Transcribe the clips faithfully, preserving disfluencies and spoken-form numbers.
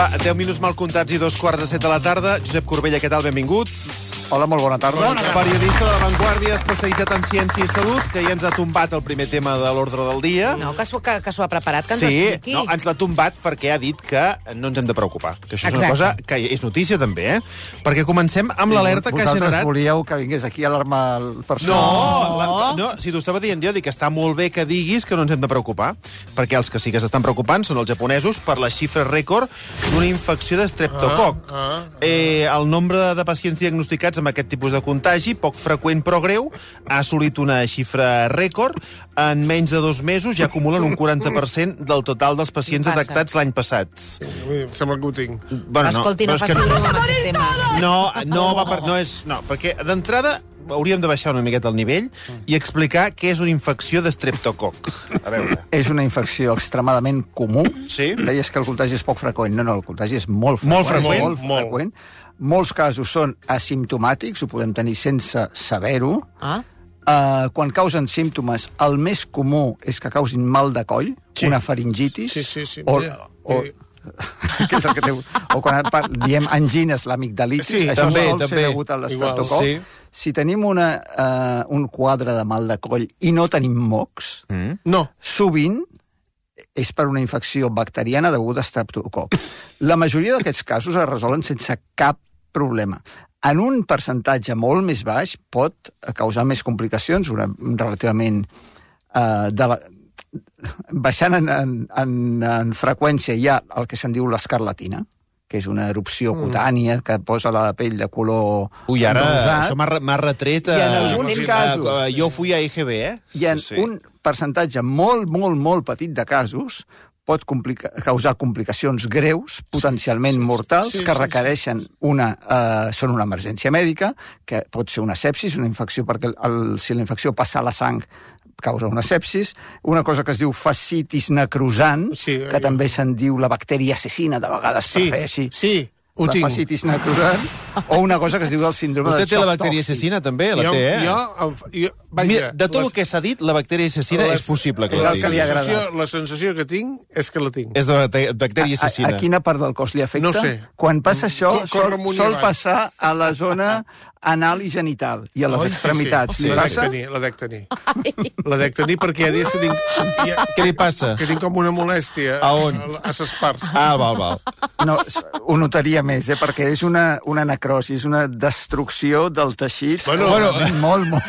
Va, deu minuts mal comptats i dos quarts de set de la tarda. Josep Corbella, què tal? Benvinguts. Hola, molt bona tarda. Bona tarda. Periodista de La Vanguardia, especialitzat en ciència i salut, que ja ens ha tombat el primer tema de l'ordre del dia. No, que s'ho que, que ha preparat, que ens sí, ho expliqui. no, ens l'ha tombat perquè ha dit que no ens hem de preocupar. Que això és Exacte. una cosa que és notícia, també, eh? Perquè comencem amb l'alerta que ha generat... Vosaltres volíeu que vingués aquí a alarmar el No, personal. la, no, si t'ho estava dient jo, dic que està molt bé que diguis que no ens hem de preocupar, perquè els que sí que s'estan preocupant són els japonesos per la xifra rècord d'una infecció d'estreptococ. Ah, ah, ah. Eh, el nombre de pacients diagnosticats amb aquest tipus de contagi, poc freqüent però greu, ha assolit una xifra rècord. En menys de dos mesos ja acumulen un quaranta per cent del total dels pacients Passa. detectats l'any passat. Sí, em sembla que ho tinc. Bueno, Escolti, no, però és faci que broma amb aquest tema. No, no, va per, no és... No, perquè d'entrada hauríem de baixar una miqueta el nivell i explicar què és una infecció d'estreptococ. A veure. És una infecció extremadament comú. Sí. Deies que el contagi és poc freqüent. No, no, el contagi és molt freqüent. Molt freqüent? Molt, Molt. freqüent. Molts casos són asimptomàtics, ho podem tenir sense saber-ho. Ah? Uh, quan causen símptomes, el més comú és que causin mal de coll, Sí. una faringitis, Sí, sí, sí. o, Mira, o, eh. que és el que té, o quan par- diem angines, l'amigdalitis, Sí, això també, sol també. ser degut a l'estreptococ. Igual, sí. Si tenim una, uh, un quadre de mal de coll i no tenim mocs, Mm. No. sovint és per una infecció bacteriana deguda a estreptococ. La majoria d'aquests casos es resolen sense cap problema. En un percentatge molt més baix pot causar més complicacions, una, relativament eh, de la, baixant en, en, en, en freqüència hi ha el que se'n diu l'escarlatina, que és una erupció cutània que posa la pell de color Ui, ara rosat. això m'ha re- m'ha retret... I en eh, alguns eh, casos- eh, jo fui a E G B, eh? I en sí, sí. un percentatge molt, molt, molt petit de casos pot complica causar complicacions greus, potencialment mortals, sí, que sí, requereixen una... Eh, són una emergència mèdica, que pot ser una sepsis, una infecció, perquè el, si la infecció passa a la sang causa una sepsis, una cosa que es diu fascitis necrosant, Sí, que eh, també se'n diu la bactèria assassina, de vegades Sí, per fer així. sí, ho la tinc. fascitis necrosant, o una cosa que es diu el síndrome Vostè de té xoc la bactèria tòxic. assassina, també? La Jo, té, eh? jo, jo, vaja, Mira, de tot les- el que s'ha dit, la bactèria assassina les- és possible que és la el que li tingui. agrada. sensació, la sensació que tinc és que la tinc. És de bacte- bactèria A, assassina. a quina part del cos li afecta? No sé. Quan passa això, Co- corre sol, amunt i sol avall. passar a la zona anal i genital i a les Oi, extremitats. Sí, sí. Li La dec passa? tenir, la dec tenir. La dec tenir perquè hi ha dies que tinc, hi ha, Què li passa? que tinc com una molèstia A on? a ses parts. Ah, val, val. No, s- ho notaria més, eh, perquè és una, una necrosi, és una destrucció del teixit. Bueno, Bueno, molt, molt.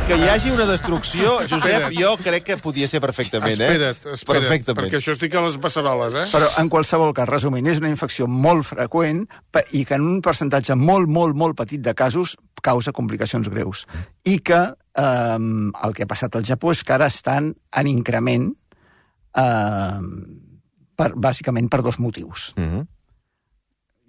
Que hi hagi una destrucció, Josep, Espera't. jo crec que podia ser perfectament, eh? Espera't, espera't, Perfectament. perquè això estic a les beceroles, eh? Però, en qualsevol cas, resumint, és una infecció molt freqüent pe- i que en un percentatge molt, molt, molt petit de casos causa complicacions greus. I que eh, el que ha passat al Japó és que ara estan en increment eh, per, bàsicament per dos motius. Mhm.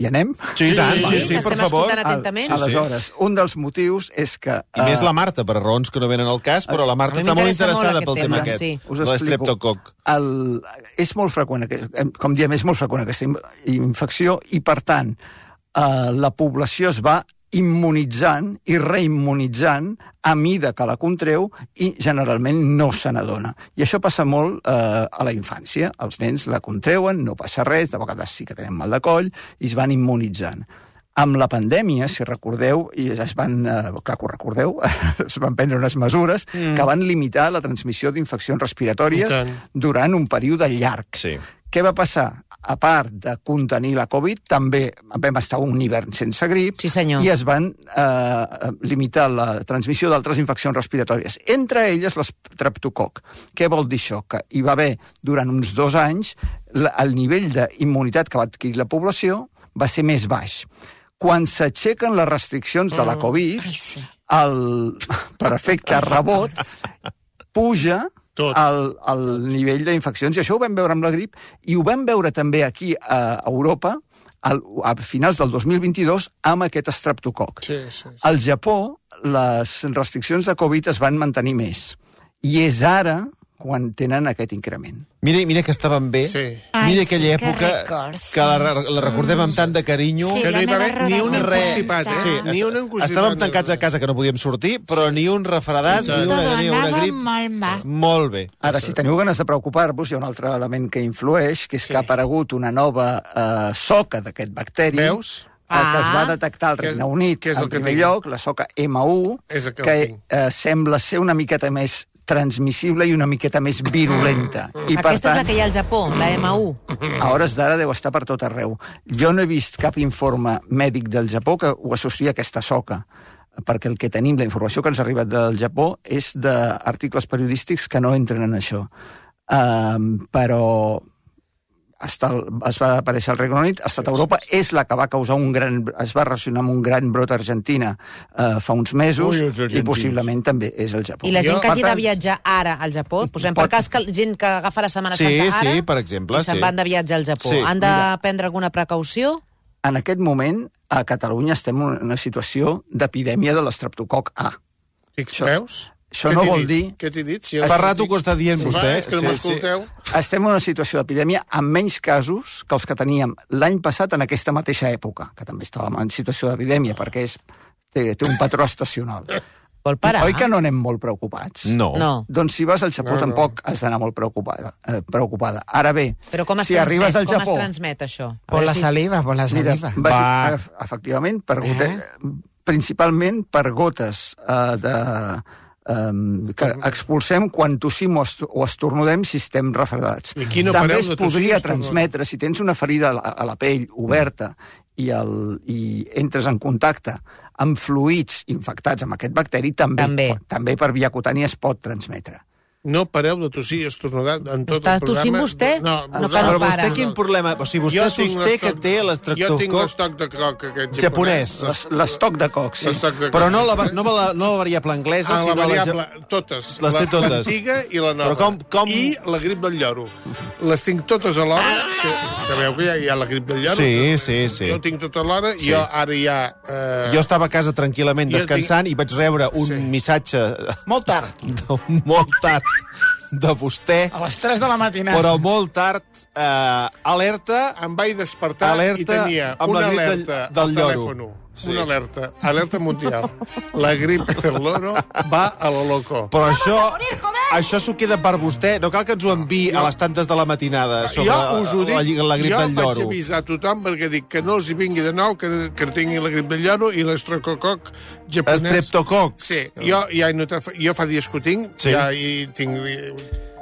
Hi anem? Sí, sí, sí, sí, Estem per favor. escoltant atentament. Sí, sí. Aleshores, un dels motius és que... I més eh, la Marta, per raons que no venen al cas, però la Marta A mi està molt m'interessa molt interessada aquest pel tema tema, aquest, sí. Us de explico. l'estreptococ. El, és molt freqüent, aquest- com diem, és molt freqüent aquesta in- infecció i, per tant, eh, la població es va immunitzant i reimmunitzant a mida que la contreu i generalment no se n'adona. I això passa molt eh, a la infància. Els nens la contreuen, no passa res, de vegades sí que tenen mal de coll i es van immunitzant. Amb la pandèmia, si recordeu, i es van, eh, clar que ho recordeu, es van prendre unes mesures mm. que van limitar la transmissió d'infeccions respiratòries I tant. durant un període llarg. Sí. Què va passar? A part de contenir la Covid, també vam estar un hivern sense grip Sí, senyor. i es van eh, limitar la transmissió d'altres infeccions respiratòries, entre elles l'estreptococ. Què vol dir això? Que hi va haver, durant uns dos anys, la, el nivell d'immunitat que va adquirir la població va ser més baix. Quan s'aixequen les restriccions de la Covid, el, per efecte rebot, puja Tot. el, el nivell d'infeccions, i això ho vam veure amb la grip, i ho vam veure també aquí a Europa, al, a finals del dos mil vint-i-dos, amb aquest estreptococ. Sí, sí, sí. Al Japó, les restriccions de Covid es van mantenir més. I és ara, quan tenen aquest increment. Mira, mira que estaven bé. Sí. Ai, Mira sí, aquella que època records, que la, la recordem amb tant de carinyo. Sí, Que no hi va la haver meva ni un roda encostipat, eh? Sí, Ni un encostipat. estàvem tancats a casa que no podíem sortir, però ni un refredat, ni una, ni una grip. molt mal. Molt bé. Ara, si teniu ganes de preocupar-vos, hi ha un altre element que influeix, que és Sí. que ha aparegut una nova eh, soca d'aquest bacteri. Veus? El que es va Ah. detectar al Que és- Regne Unit, que és el en que primer tinc. lloc, la soca ema u, És el que que tinc. eh, sembla ser una miqueta més transmissible i una miqueta més virulenta. I, per Aquesta és la tant, que hi ha al Japó, la ema u. a hores d'ara deu estar per tot arreu. Jo no he vist cap informe mèdic del Japó que ho associa a aquesta soca, perquè el que tenim, la informació que ens ha arribat del Japó, és d'articles periodístics que no entren en això. Um, però hasta el, es va aparèixer al Regne Unit, ha estat a Europa, és la que va causar un gran... es va relacionar amb un gran brot a Argentina uh, fa uns mesos, Ui, els i argentins. possiblement també és el Japó. I la gent Jo- que hagi Per de tant, viatjar ara al Japó, posem per Pot- cas que gent que agafa la Setmana Sí, Santa ara sí, per exemple, i se'n sí. van de viatge al Japó. Sí, Han de mira. prendre alguna precaució? En aquest moment, a Catalunya estem en una situació d'epidèmia de l'estreptococ A. Fix, Això- veus? això Què no t'he vol dit? dir- Què t'he dit? Si Fa rato que ho està dient Sí, vostè. va, és que no Sí, m'escolteu. Estem en una situació d'epidèmia amb menys casos que els que teníem l'any passat en aquesta mateixa època, que també estàvem en situació d'epidèmia, perquè és, té, té un patró estacional. Vol parar? Oi que no anem molt preocupats? No. No. Doncs si vas al Japó No, no. tampoc has d'anar molt preocupada, eh, preocupada. Ara bé, Però com es, si transmet, arribes al com Japó... es transmet, això? A Por veure la si- saliva, por la Mira, saliva. bàsic, Va. ef- efectivament, per gote, principalment per gotes eh, de, eh, que expulsem quan tossim o, est o estornudem si estem refredats. I aquí no També pareu es de tossir i podria estornudar. transmetre, si tens una ferida a la, a la pell oberta i, el, i entres en contacte amb fluids infectats amb aquest bacteri, també, També. pot- també per via cutània es pot transmetre. No pareu de tossir i estornudar en tot Està el programa. tossint vostè? No, No, que no Però para. vostè quin problema... O sigui, vostè Jo tinc sosté que l'estoc- té Jo tinc l'estreptococ l'estoc de coc aquest japonès. japonès. Les- L'estoc de coc, sí. L'estoc de Però coc no la, japonès. no la, no la variable anglesa, Ah, la sinó variable, la... totes. Les té La- totes. L'antiga i la nova. Però com- com- I la grip del lloro. Les tinc totes alhora. Que sabeu que hi ha, hi ha la grip del lloro? Sí, sí, sí. Jo tinc tot alhora. Sí. Sí. Jo ara ja... Eh, Jo estava a casa tranquil·lament Jo descansant i vaig rebre un Sí. missatge Molt tard. de, molt tard de vostè, A les tres de la matinada. però molt tard, eh, alerta, em vaig despertar Alerta i tenia amb la una grip del- alerta del al lloro. telèfon. Sí. Una alerta. Alerta mundial. La grip del loro va a lo loco. però això, això s'ho queda per vostè. No cal que ens ho enviï a les tantes de la matinada sobre Jo us ho dic, la, la grip jo del vaig lloro. avisar a tothom perquè dic que no els hi vingui de nou, que, que tingui la grip del lloro i l'estrocococ japonès. Estreptococ. Sí, jo, ja he notat, jo fa dies que ho tinc, Sí. ja hi tinc...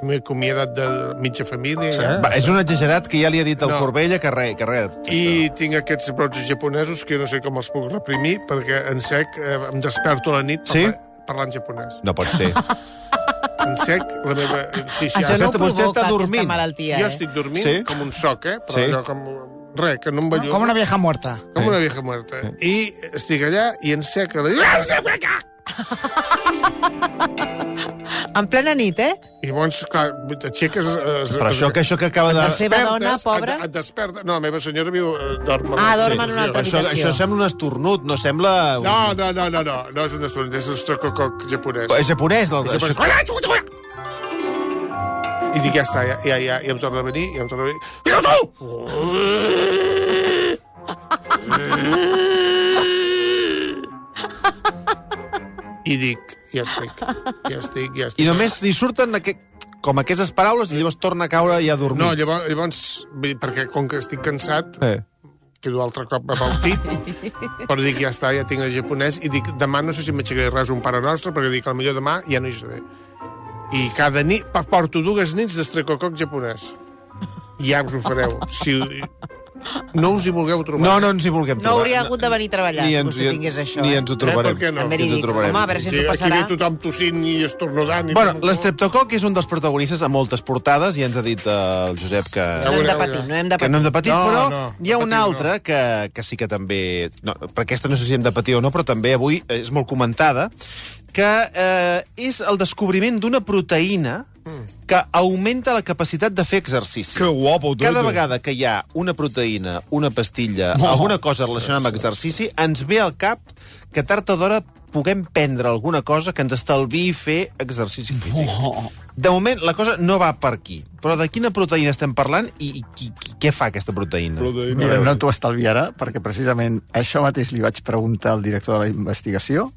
M'he acomiadat de mitja família. Ja. Va, és un exagerat que ja li ha dit al No. Corbella que res, que res. I tinc aquests brots japonesos que jo no sé com els puc reprimir, perquè en sec eh, em desperto a la nit Sí? parla, parlant japonès. No pot ser. En sec, la meva... Sí, sí, Això ara- no ho Vostè- vostè provoca, està dormint. aquesta malaltia, jo eh? estic dormint Sí. com un soc, eh? Però Sí. allò com... Res, que no em belluga. Com una vieja muerta. Com una vieja muerta. I estic allà i en sec a la... En plena nit, eh? I llavors, clar, t'aixeques... Es, Però això que, això que acaba de... La seva dona, despertes, pobra. Et, et desperta... No, la meva senyora viu... eh, dorm. Ah, dorm en una altra Això, habitació. això sembla un estornut, no sembla... Un... No, no, no, no, no, no és un estona, és l'estrocococ japonès. És japonès. El... És Això... japonès. I dic, ja està, ja, ja, ja, ja em torna a venir, ja em torna a venir. Mira tu! I dic, ja estic, ja estic, ja estic. I només li surten aquest... com aquestes paraules i llavors torna a caure ja dormit. No, llavors, llavors vull dir, perquè com que estic cansat, Eh. quedo altre cop abaltit, però dic, ja està, ja tinc el japonès, i dic, demà no sé si m'aixecaré res un pare nostre, perquè dic, potser demà ja no hi seré. I cada nit, pa- porto dues nits d'estrecococ japonès. Ja us ho fareu. Si no us hi vulgueu trobar. No, no ens hi vulguem No trobar. hauria hagut de venir a treballar Ni si ens, vostè tingués això. Ni eh? ens ho trobarem. Eh, per què no? També li Ni ens ho dic, trobarem. home, a veure si ens Aquí, ho aquí passarà. ve tothom tossint i estornudant. I Bueno, tot. l'estreptococ és un dels protagonistes a moltes portades, i ens ha dit eh, el Josep que... No hem de patir, no hem de que no hem de patir, No, però no, hi ha patir una no. altra que, que sí que també... No, per aquesta no sé si hem de patir o no, però també avui és molt comentada, que eh, és el descobriment d'una proteïna que augmenta la capacitat de fer exercici. Que guapo, tot. Cada vegada que hi ha una proteïna, una pastilla, oh, alguna cosa relacionada amb exercici, ens ve al cap que tard o d'hora puguem prendre alguna cosa que ens estalviï fer exercici físic. Oh. De moment, la cosa no va per aquí. Però de quina proteïna estem parlant i, i qui, qui, què fa aquesta proteïna? Proteïna. Mira, no t'ho estalviarà, perquè precisament això mateix li vaig preguntar al director de la investigació,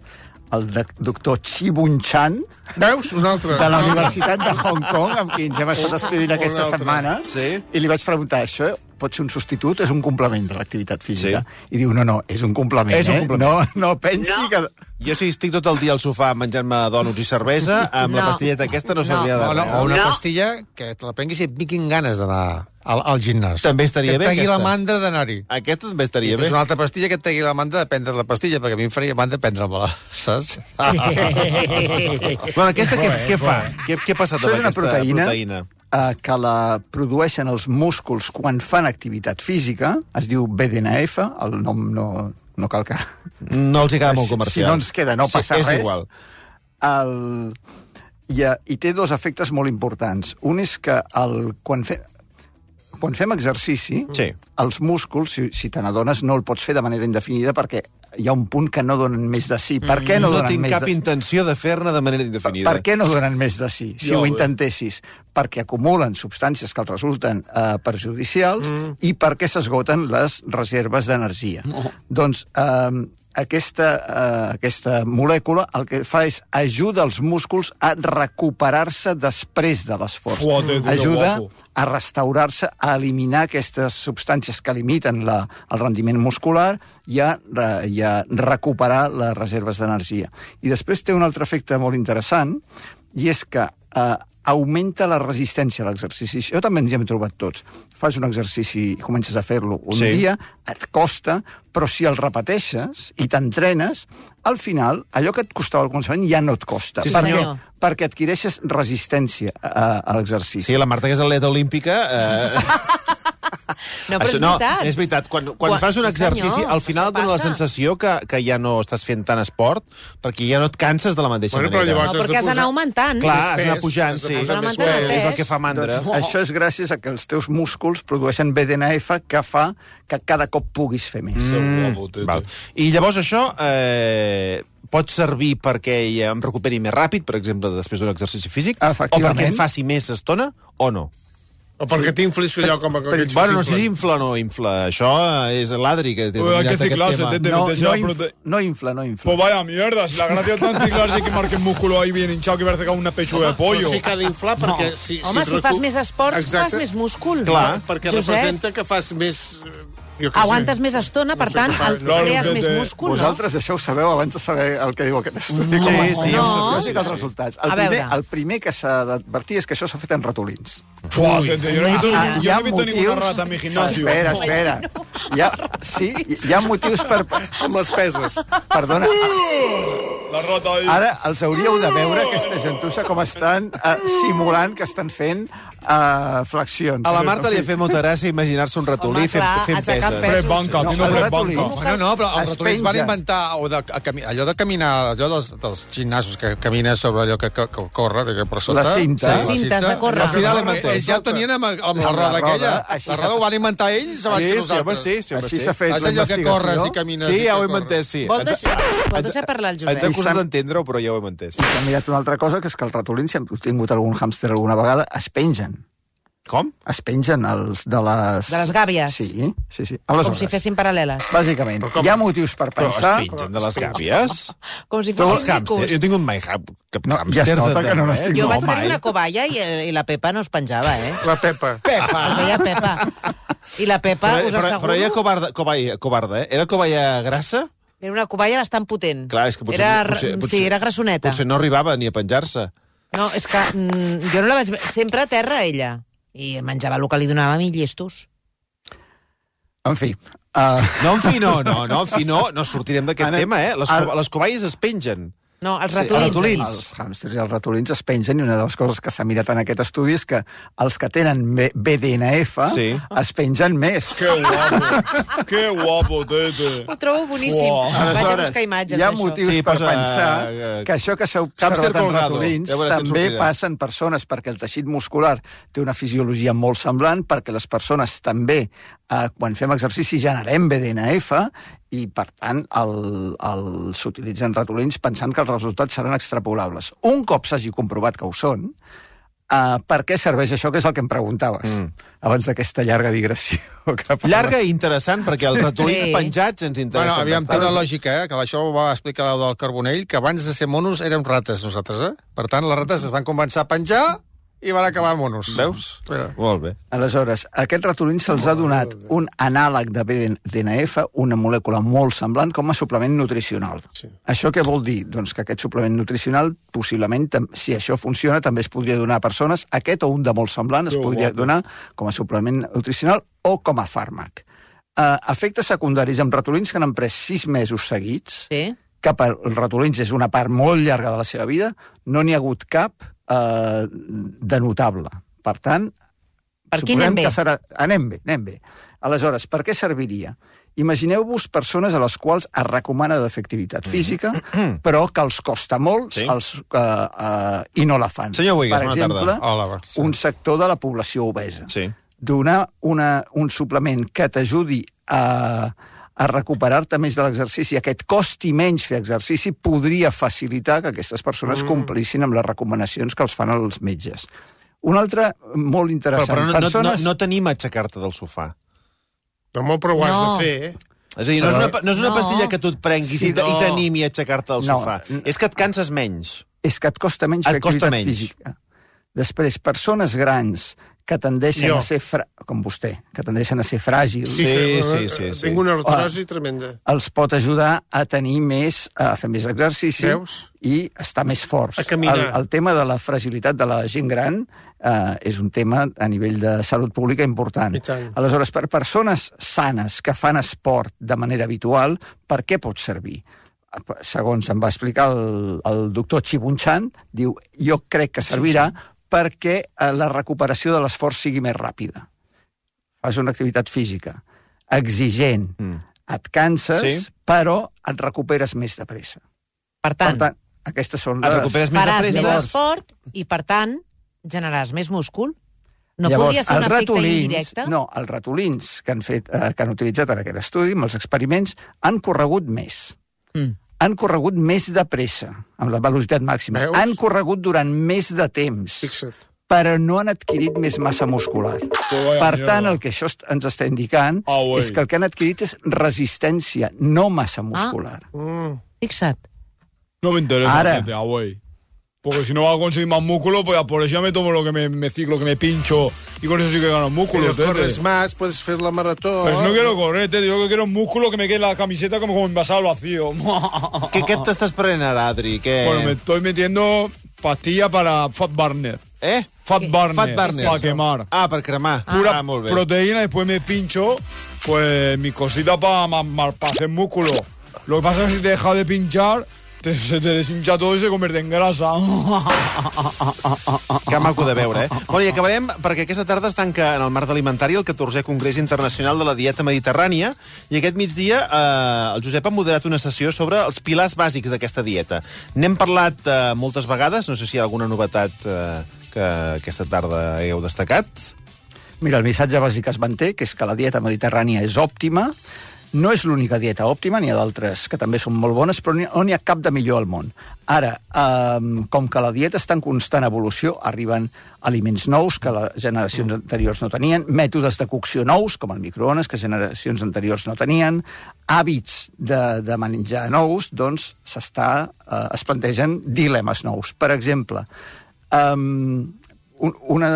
el doctor Chi Bun Chan, Veus? Un altre. de la Universitat de Hong Kong, amb qui ens hem estat escrivint aquesta altre. setmana, Sí. i li vaig preguntar, això pot ser un substitut, és un complement de l'activitat física? Sí. I diu, no, no, és un complement, És un eh? complement. No, no pensi no. que... Jo si estic tot el dia al sofà menjant-me dònuts i cervesa, amb no. la pastilleta aquesta no serviria de O, res. no, o una no. pastilla que te la prenguis i et vinguin ganes d'anar al, al gimnàs. També estaria que bé, et pegui aquesta. la mandra d'anar-hi. Aquesta també estaria bé. És una altra pastilla que et pegui la mandra de prendre la pastilla, perquè a mi em faria mandra prendre-me-la, saps? Bueno, aquesta què, què fa? Què, què ha passat Això amb és una aquesta proteïna, proteïna? eh, que la produeixen els músculs quan fan activitat física, es diu B D N F, el nom no, no cal que... No els hi queda molt Si comercial. no ens queda, no passa sí, és res. Igual. El... I, eh, I té dos efectes molt importants. Un és que el... quan, fe... quan fem exercici, Sí. els músculs, si, si te n'adones, no el pots fer de manera indefinida perquè hi ha un punt que no donen més de si. Per què no, No donen tinc més cap de si? intenció de fer-ne de manera indefinida. Per què no donen més de si, si Ja ho ho intentessis? Perquè acumulen substàncies que els resulten eh, perjudicials mm. i perquè s'esgoten les reserves d'energia. Oh. Doncs eh, aquesta, eh, aquesta molècula el que fa és ajuda els músculs a recuperar-se després de l'esforç. Fuate, tu, que Ajuda guapo. a restaurar-se, a eliminar aquestes substàncies que limiten la, el rendiment muscular i a, i a recuperar les reserves d'energia. I després té un altre efecte molt interessant, i és que eh, augmenta la resistència a l'exercici. Això també ens hi hem trobat tots. Fas un exercici i comences a fer-lo un Sí. dia, et costa, però si el repeteixes i t'entrenes, al final, allò que et costava al començament ja no et costa. Sí, perquè, senyor. perquè adquireixes resistència a, a l'exercici. Sí, la Marta, que és atleta olímpica... Eh... No, però Això, és no, veritat. és veritat. Quan, quan, Quan- fas un sí, exercici, senyor, al final això et dona la passa. sensació que, que ja no estàs fent tant esport, perquè ja no et canses de la mateixa Bueno, però manera. llavors- No, perquè has d'anar augmentant. Clar, Més has d'anar pes, pujant, has de sí. posar Has més d'anar pes. pes. És el que fa mandra. Doncs això és gràcies a que els teus músculs produeixen B D N F que fa que cada cop puguis fer més. Que guapo, tete. Val. I llavors això eh, pot servir perquè em recuperi més ràpid, per exemple, després d'un exercici físic, o Efectivament. perquè em faci més estona, o no? O perquè t'inflis allò com aquells Bueno, no que sé si s'inflen. infla o no infla. Això és l'Adri que té Uy, hay dominat que aquest ciclarse, tema. tete. No, meterse no, la inf prote- no infla, no infla. Pues vaya mierda, si la gracia está en ciclarse y que marque el músculo ahí bien hinchado que parece que una pechuga de pollo. Però sí que ha d'inflar perquè... Si, Home, si fas més esport, Exacte. fas més múscul. Clar, perquè Josep, representa que fas més... eh, Jo què aguantes sé. més estona, per No sé tant, què fa, el, no sé. crees Claro, més que té- múscul, no? Vosaltres això ho sabeu abans de saber el que diu aquest estudi. No, Com- sí, no. Jo sé que els resultats. El A primer, veure. el primer que s'ha d'advertir és que això s'ha fet en ratolins. Fua, tete, yo no he visto, Imagina. yo no he visto ninguna rata en mi gimnasio. Espera, espera. Hi ha, sí, hi ha motius per... Amb les peses. Perdona, La rata ahí. ara els hauríeu de veure, aquesta gentussa, com estan uh, simulant que estan fent uh, flexions. A la Marta li ha fet molta gràcia imaginar-se un ratolí Home, fent, clar, fent aixecar peses. pesos. Press banca, No, haciendo el press ratolí. banca. Bueno, no, però els Es ratolins van pengen. inventar o de, a, cami- allò de caminar, allò dels, dels gimnasos que camines sobre allò que, que, que corre, que per sota. Les cintes. Les cintes de córrer. Al final hem Eh, entès. Ells ja ho tenien amb, amb la Amb la roda roda, aquella. així La s'ha roda ho fet. van inventar ells abans Sí, que sí, home, nosaltres. sí, sí, home, Així sí. s'ha fet És allò que corres i l'investigació. camines. Sí, i ja que ho hem corres. entès, sí. Vol Ens- deixar, vol ens- deixar parlar el Ens ha Josep. costat d'entendre-ho, però ja ho hem entès. I s'ha mirat una altra cosa, que és que els ratolins, si hem tingut algun hàmster alguna vegada, es pengen. Com? Es pengen els de les... De les gàbies. Sí, sí, sí. Com Aleshores, si fessin paral·leles. bàsicament, hi ha motius per Però es pensar... pengen de les gàbies? Com si Però els fossin hàmsters... Jo micos. he tingut mai cap, cap No, hàmster. ja es nota de- que no de- n'estic- Jo No, vaig tenir mai. una cobaya i, i la Pepa no es penjava, eh? La Pepa. Es deia Pepa. I la Pepa, Però, us però, asseguro... però ella covarda, covarda, covarda, eh? Era covalla grassa? Era una cobaya bastant potent. Clar, és que potser... Era, potser, potser sí, era grassoneta. Potser no arribava ni a penjar-se. No, és que mm, jo no la vaig... ve- Sempre a terra, ella. I menjava el que li donava a mi, llestos. En fi... Uh, No, en fi, no, no, no, en fi, no, no sortirem d'aquest Anem- tema, eh? Les, Ara- co les covalles es pengen. No, els Sí, ratolins. ratolins. Els hàmsters i els ratolins es pengen, i una de les coses que s'ha mirat en aquest estudi és que els que tenen B D N F Sí. es pengen més. Que guapo, que guapo, tete. Ho trobo boníssim. Uau. Vaig a Aleshores, buscar imatges Hi ha d'això. motius Sí, per posa, pensar eh, que això que s'ha Hàmster observat en colgado. ratolins Ja veuràs què et també sortirà. passa en persones, perquè el teixit muscular té una fisiologia molt semblant, perquè les persones també, eh, quan fem exercici, generem B D N F, i, per tant, el, el, s'utilitzen ratolins pensant que els resultats seran extrapolables. Un cop s'hagi comprovat que ho són, uh, per què serveix això, que és el que em preguntaves, mm. abans d'aquesta llarga digressió. Llarga i interessant, perquè els ratolins Sí. penjats ens interessen Bueno, aviam, té bastant. una lògica, eh? Que això ho va explicar l'Eu del Carbonell, que abans de ser monos érem rates, nosaltres, eh? Per tant, les rates es van començar a penjar i van acabar monos. Veus? Mira. Molt bé. Aleshores, a aquests ratolins se'ls ha donat un anàleg de B D N F, una molècula molt semblant, com a suplement nutricional. Sí. Això què vol dir? Doncs que aquest suplement nutricional, possiblement, tam- si això funciona, també es podria donar a persones, aquest o un de molt semblant es Que podria guapo. donar com a suplement nutricional o com a fàrmac. Uh, efectes secundaris amb ratolins que han pres sis mesos seguits, Sí. que per els ratolins és una part molt llarga de la seva vida, no n'hi ha hagut cap eh, de notable. Per tant, Per aquí suposem anem bé. que serà... Anem bé, anem bé. Aleshores, per què serviria? Imagineu-vos persones a les quals es recomana de fer activitat física, però que els costa molt Sí. els, uh, uh, i no la fan. Senyor Huigues, per bona exemple, tarda. Hola, va. Sí. un sector de la població obesa. Sí. Donar una, un suplement que t'ajudi a, a recuperar-te més de l'exercici, a que et costi menys fer exercici, podria facilitar que aquestes persones mm. complissin amb les recomanacions que els fan els metges. Un altre molt Però, interessant. però no, persones... no, no tenim aixecar-te del sofà. No, però ho has No. de fer, eh? És a dir, no, és, una, no és una No. pastilla que tu et prenguis Sí, i, te- no. i t'animi a aixecar-te del No. sofà. És que et canses menys. És que et costa menys Et fer costa activitat menys. física. Després, persones grans que tendeixen Jo. a ser, fra... com vostè, que tendeixen a ser fràgils, Sí, sí, sí, sí. Tinc una artrosi tremenda. els pot ajudar a tenir més, a fer més exercici Veus? i estar més forts. A caminar. El, el tema de la fragilitat de la gent gran eh, és un tema a nivell de salut pública important. I tant. Aleshores, per persones sanes que fan esport de manera habitual, per què pot servir? Segons em va explicar el, el doctor Chibunchan, diu, jo crec que servirà perquè eh, la recuperació de l'esforç sigui més ràpida. Fas una activitat física exigent, Mm. et canses, Sí. però et recuperes més de pressa. Per tant, Per tant, aquestes són Et les... recuperes més de faràs més pressa. esport i, per tant, generaràs més múscul. No Llavors, podria ser un els efecte ratolins, indirecte? No, els ratolins que han, fet, eh, que han utilitzat en aquest estudi, amb els experiments, han corregut més. Mm. Han corregut més de pressa, amb la velocitat màxima. Veus? Han corregut durant més de temps, Fixa't. però no han adquirit més massa muscular. vaya Per mierda. tant, el que això est- ens està indicant Ah, güey. és que el que han adquirit és resistència, no massa muscular. Mm. Fixa't. No me interesa, Ahora. gente, ah, güey. Porque si no va a conseguir más músculo, pues ya por eso ya me tomo lo que me, me ciclo, que me pincho, y con eso sí que gano músculo, Pero tete. corres más, puedes hacer la maratón. Pero si no quiero correr, tete, yo lo que quiero es músculo, que me quede la camiseta como, como envasada al vacío. Què, què t'estàs prenent ara, Adri? Què... Bueno, me estoy metiendo pastilla para Fat Burner. Eh? Fat Burner. Fat Burner. Para quemar. Ah, per cremar. Pura ah, molt bé. proteína, después me pincho, pues mi cosita para pa hacer músculo. Lo que pasa es que si te dejas de pinchar, te, se te deshincha todo y se convierte en grasa. Que maco de veure, eh? Bueno, i acabarem, perquè aquesta tarda es tanca en el marc alimentari el catorzè Congrés Internacional de la Dieta Mediterrània, i aquest migdia eh, el Josep ha moderat una sessió sobre els pilars bàsics d'aquesta dieta. N'hem parlat eh, moltes vegades, no sé si hi ha alguna novetat eh, que aquesta tarda hagueu destacat. Mira, el missatge bàsic es manté, que és que la dieta mediterrània és òptima. No és l'única dieta òptima, n'hi ha d'altres que també són molt bones, però no n'hi ha cap de millor al món. Ara, eh, com que la dieta està en constant evolució, arriben aliments nous que les generacions anteriors no tenien, mètodes de cocció nous, com el microones, que generacions anteriors no tenien, hàbits de, de menjar nous, doncs s'està, eh, es plantegen dilemes nous. Per exemple, eh, una,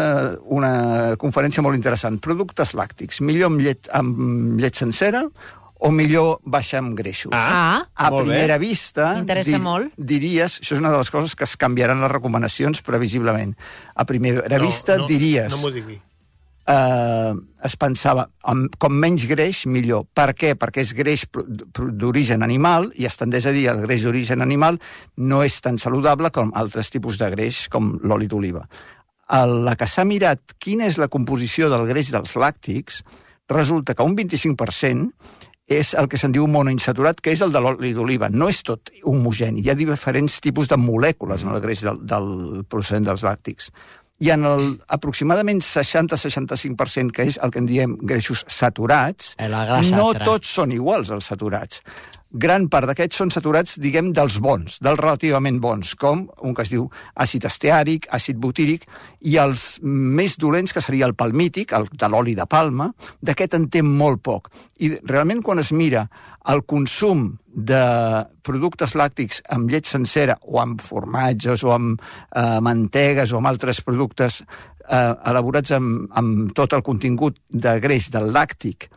una conferència molt interessant. Productes làctics, millor amb llet, amb llet sencera o millor baixar amb greixos? Ah, A molt bé. primera vista, M'interessa molt. diries, això és una de les coses que es canviaran les recomanacions previsiblement. A primera No, vista no, diries... No m'ho digui. eh, es pensava amb, com menys greix, millor. Per què? Perquè és greix d'origen animal i es tendeix a dir que el greix d'origen animal no és tan saludable com altres tipus de greix, com l'oli d'oliva. A la que s'ha mirat quina és la composició del greix dels làctics, resulta que un vint-i-cinc per cent és el que se'n diu monoinsaturat, que és el de l'oli d'oliva. No és tot homogeni. Hi ha diferents tipus de molècules en el greix del, del procedent dels làctics. I en el aproximadament seixanta a seixanta-cinc per cent, que és el que en diem greixos saturats, no tots són iguals els saturats. Gran part d'aquests són saturats, diguem, dels bons, dels relativament bons, com un que es diu àcid esteàric, àcid butíric, i els més dolents, que seria el palmític, el de l'oli de palma, d'aquest en té molt poc. I realment quan es mira el consum de productes làctics amb llet sencera, o amb formatges, o amb eh, mantegues, o amb altres productes eh, elaborats amb, amb tot el contingut de greix del làctic,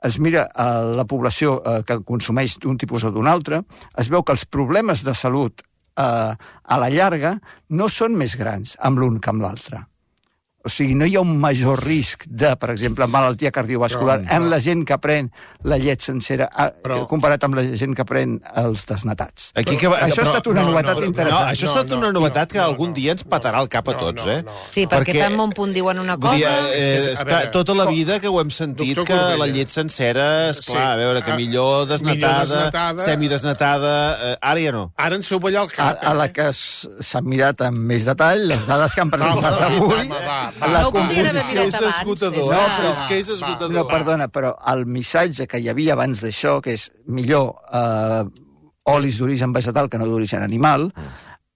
es mira a la població eh, que consumeix d'un tipus o d'un altre, es veu que els problemes de salut eh, a la llarga no són més grans amb l'un que amb l'altre. O sigui, no hi ha un major risc de, per exemple, malaltia cardiovascular però, en la gent que pren la llet sencera però, comparat amb la gent que pren els desnatats. Aquí que va, això però, ha estat una no, novetat no, no, interessant. No, això ha estat no, una novetat no, que algun no, dia ens patarà el cap a tots, eh? No, no, no. Sí, perquè, perquè tan bon punt diuen una cosa... Dir, eh, és, és que tota la vida que ho hem sentit, que la llet sencera, esclar, a veure, que millor desnatada, semidesnatada... Eh, ara ja no. Ara ens feu ballar el cap. A, a la que s'ha mirat amb més detall, les dades que han presentat avui... La composició és esgotador, no, però és que és esgotador. No, perdona, però el missatge que hi havia abans d'això, que és millor eh, olis d'origen vegetal que no d'origen animal,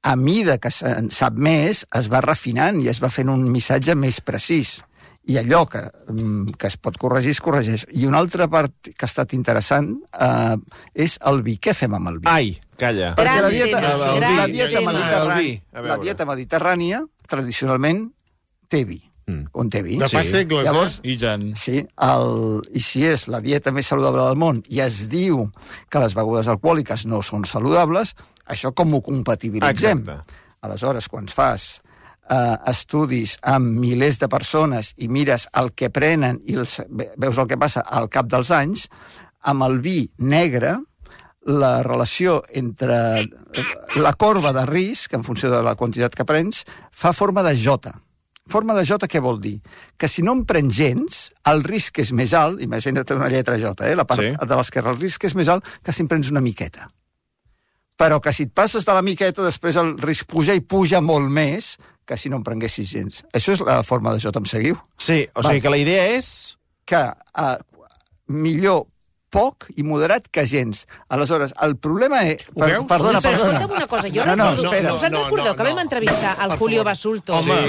a mida que se'n sap més, es va refinant i es va fent un missatge més precís. I allò que, que es pot corregir, es corregeix. I una altra part que ha estat interessant eh, és el vi. Què fem amb el vi? Ai, calla. Perquè la dieta, tema, la, gran la dieta tema. mediterrània, A la veure. dieta mediterrània tradicionalment té vi. Mm. On té vi. De fa Sí. segles, Llavors, eh? I tant. Sí, el, i si és la dieta més saludable del món i es diu que les begudes alcohòliques no són saludables, això com ho compatibilitzem? Exacte. Aleshores, quan fas eh, estudis amb milers de persones i mires el que prenen i els, veus el que passa al cap dels anys, amb el vi negre, la relació entre la corba de risc, en funció de la quantitat que prens, fa forma de jota. Forma de jota què vol dir? Que si no en prens gens, el risc és més alt, imagina't una lletra jota, eh? La part Sí. de l'esquerra, el risc és més alt que si en prens una miqueta. Però que si et passes de la miqueta, després el risc puja i puja molt més que si no en prenguessis gens. Això és la forma de jota, em seguiu? Sí, o Va. sigui que la idea és... Que eh, millor poc i moderat que gens. Aleshores, el problema és... Ho veus? Perdona, Però perdona. escolta'm una cosa, jo No, no, recordo... espera. Us en No, no, recordeu que no, vam no. entrevistar al Per Julio favor. Basulto? Home.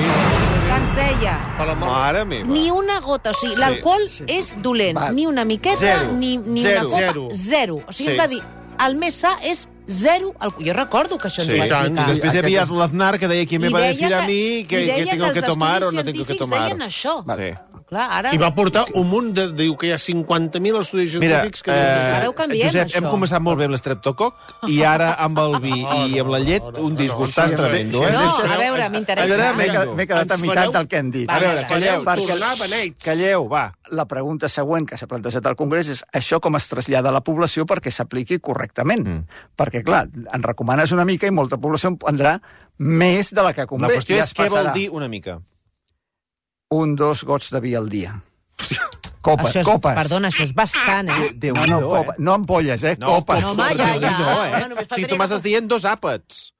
Que ens deia... Per la mort. Mare meva. Ni una gota, o sigui, l'alcohol és dolent, Va. ni una miqueta, Zero. ni, ni Zero. una copa, Zero. zero. O sigui, Sí. es va dir, el més sa és zero. alcohol. Jo recordo que això ens Sí, ho va i tant. explicar. I després hi havia l'Aznar que deia que me I va deia decir a que- mi que, i deia que tengo que que els tomar o estudis no tengo que científics tomar. deien això. Vale. Clar, ara... I va portar un munt de... Diu que hi ha cinquanta mil estudis Mira, científics que... eh, Ara ho canviem, Josep, això. hem començat molt bé amb l'estreptococ i ara amb el vi i amb la llet un disgustàs tremendo, eh? No, sí, sí. a veure, Ara m'interessa. m'he quedat- m'he quedat a Ens meitat fareu- del que hem dit. Va, A veure, va, calleu, perquè- tornar beneits. calleu, va. La pregunta següent que s'ha plantejat al Congrés és això com es trasllada a la població perquè s'apliqui correctament. Mm. Perquè, clar, en recomanes una mica i molta població en prendrà més de la que La convé. qüestió I és es què vol passarà dir una mica. Un, dos gots de vi al dia. Copes, Això és, copes. Perdona, això és bastant, eh? déu No, no, copa, no ampolles, eh? No, copes. No, home, ja, ja. No, eh? Home, només Si faltaria tu m'estàs que- dient dos àpats.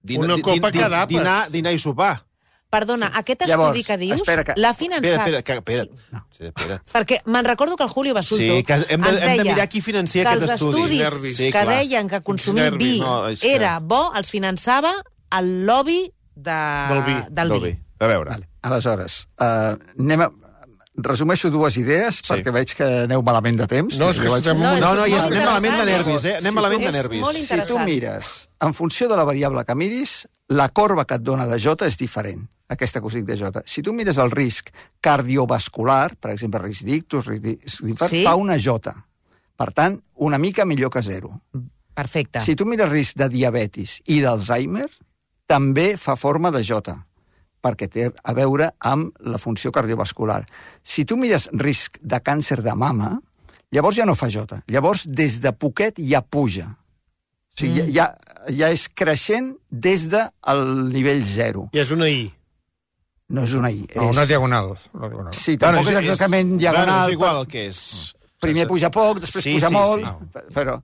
Dina, Una di- copa di- cada àpat. Dinar, dinar i sopar. Perdona, aquest Llavors, estudi que dius espera que- l'ha Espera, finançat... espera, que, espera't. Sí, espera't. Perquè me'n recordo que el Julio Basulto Sí, que hem de, ens hem de deia mirar qui financia que aquest els estudi. estudis Nervis. Sí, que clar. deien que consumir nervis. vi No, és que- era bo, els finançava el lobby de... Del vi. Del Del vi. vi. A veure. Vale. Aleshores, uh, anem a... resumeixo dues idees, Sí. perquè veig que aneu malament de temps. No, és que Jo vaig- estem... No, és No, no, molt ja anem malament de interessant. nervis, eh? Anem malament de És nervis. molt Si tu interessant. mires, en funció de la variable que miris, la corba que et dona de J és diferent, aquesta que us dic de J. Si tu mires el risc cardiovascular, per exemple, risc d'ictus, risc d'infart, Sí. fa una J. Per tant, una mica millor que zero. Perfecte. Si tu mires risc de diabetis i d'Alzheimer, també fa forma de J. perquè té a veure amb la funció cardiovascular. Si tu mires risc de càncer de mama, llavors ja no fa jota. Llavors, des de poquet ja puja. O sigui, mm. ja, ja és creixent des del nivell zero. I és una I. No és una I. No, és... una diagonal. Una diagonal. Sí, tampoc Bueno, és exactament és, diagonal. Bueno, és igual que és... Primer puja poc, després Sí, puja sí, molt, sí. però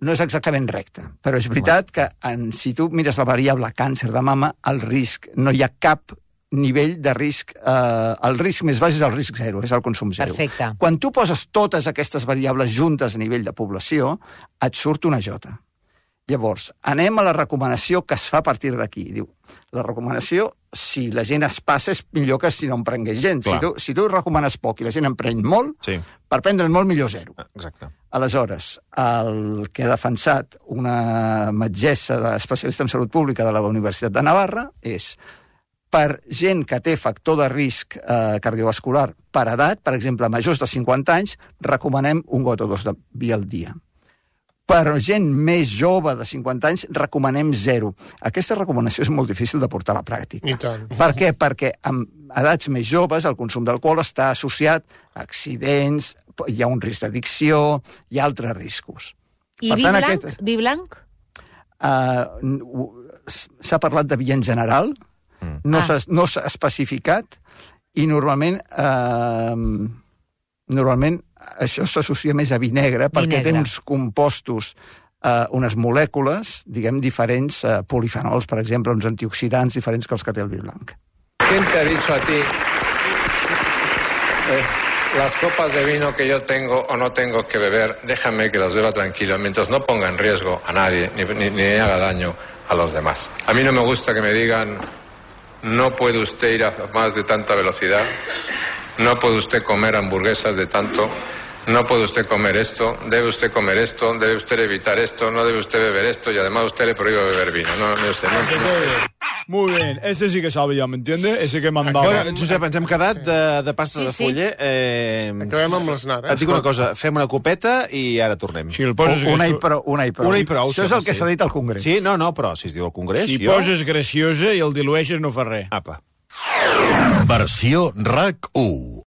no és exactament recte. Però és veritat que en, si tu mires la variable càncer de mama, el risc, no hi ha cap nivell de risc, eh, el risc més baix és el risc zero, és el consum zero. Perfecte. Quan tu poses totes aquestes variables juntes a nivell de població, et surt una jota. Llavors, anem a la recomanació que es fa a partir d'aquí. Diu, la recomanació, si la gent es passa, és millor que si no en prengués gent. Si tu, si tu recomanes poc i la gent en pren molt, Sí. per prendre'n molt millor zero. Exacte. Aleshores, el que ha defensat una metgessa d'especialista en salut pública de la Universitat de Navarra és per gent que té factor de risc eh, cardiovascular per edat, per exemple, majors de cinquanta anys, recomanem un got o dos de vi al dia. Per gent més jove de cinquanta anys, recomanem zero. Aquesta recomanació és molt difícil de portar a la pràctica. I tant. Per què? Perquè amb edats més joves el consum d'alcohol està associat a accidents, hi ha un risc d'addicció, hi ha altres riscos. I Per vi tant, blanc? aquest- Vi blanc? Uh, S'ha parlat de vi en general, mm. no Ah. s'ha no s'ha especificat, i normalment uh, normalment això s'associa més a vi negre, perquè negre. té uns compostos, uh, unes molècules, diguem, diferents, uh, polifenols, per exemple, uns antioxidants diferents que els que té el vi blanc. ¿Quién te ha dicho a ti eh, las copas de vino que yo tengo o no tengo que beber? Déjame que las beba tranquilo, mientras no ponga en riesgo a nadie ni, ni, ni haga daño a los demás. A mí no me gusta que me digan no puede usted ir a más de tanta velocidad, no puede usted comer hamburguesas de tanto, no puede usted comer esto, debe usted comer esto, debe usted evitar esto, no debe usted beber esto y además usted le prohíbe beber vino. No, no sé, no, Muy bien, ese sí que sabía, ¿me entiende? Ese que mandaba. Bueno, Josep, ens hem quedat de, de pasta Sí, de sí. fuller. Eh, Acabem amb l'esnar, eh? et dic una cosa, fem una copeta i ara tornem. Si el poses Una i gracio- prou. Una i prou. Una i prou, Això és el que sí. s'ha dit al Congrés. Sí, no, no, però si es diu al Congrés, si jo... poses graciosa i el dilueixes no fa res. Apa. Versió RAC u.